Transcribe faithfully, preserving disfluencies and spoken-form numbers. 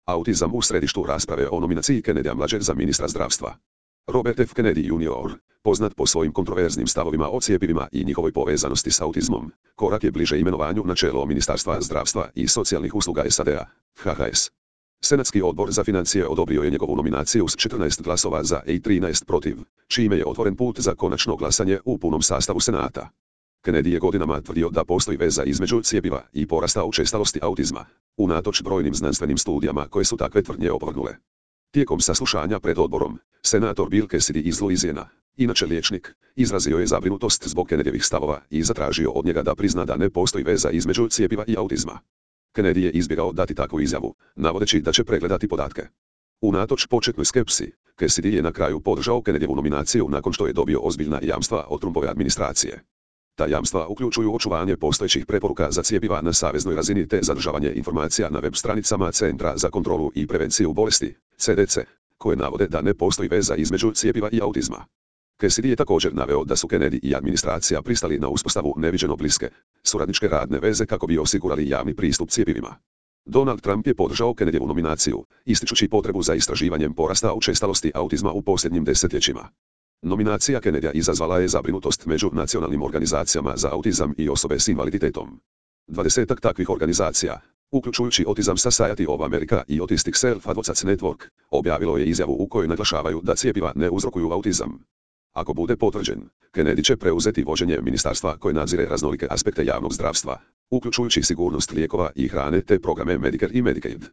Autizam u središtu rasprave o nominaciji Kennedya mlađeg za ministra zdravstva. Robert F. Kennedy junior, poznat po svojim kontroverznim stavovima o cjepivima i njihovoj povezanosti s autizmom, korak je bliže imenovanju na čelo Ministarstva zdravstva i socijalnih usluga S A D-a, H H S. Senatski odbor za financije odobrio je njegovu nominaciju s četrnaest glasova za i trinaest protiv, čime je otvoren put za konačno glasanje u punom sastavu Senata. Kennedy je godinama tvrdio da postoji veza između cjepiva i porasta učestalosti autizma, unatoč brojnim znanstvenim studijama koje su takve tvrdnje opovrgnule. Tijekom saslušanja pred odborom, senator Bill Cassidy iz Louisiana, inače liječnik, izrazio je zabrinutost zbog Kennedyjevih stavova i zatražio od njega da prizna da ne postoji veza između cjepiva i autizma. Kennedy je izbjegao dati takvu izjavu, navodeći da će pregledati podatke. Unatoč početnoj skepsi, Cassidy je na kraju podržao Kennedyjevu nominaciju nakon što je dobio ozbiljna jamstva od Trumpove administracije. Ta jamstva uključuju očuvanje postojećih preporuka za cjepiva na saveznoj razini te zadržavanje informacija na web stranicama Centra za kontrolu i prevenciju bolesti, C D C, koje navode da ne postoji veza između cjepiva i autizma. Cassidy je također naveo da su Kennedy i administracija pristali na uspostavu neviđeno bliske, suradničke radne veze kako bi osigurali javni pristup cjepivima. Donald Trump je podržao Kennedyjevu nominaciju, ističući potrebu za istraživanjem porasta učestalosti autizma u posljednjim desetljećima. Nominacija Kennedya izazvala je zabrinutost među nacionalnim organizacijama za autizam i osobe s invaliditetom. Dvadesetak takvih organizacija, uključujući Autism Society of America i Autistic Self-Advocates Network, objavilo je izjavu u kojoj naglašavaju da cjepiva ne uzrokuju autizam. Ako bude potvrđen, Kennedy će preuzeti vođenje ministarstva koje nadzire raznolike aspekte javnog zdravstva, uključujući sigurnost lijekova i hrane te programe Medicare i Medicaid.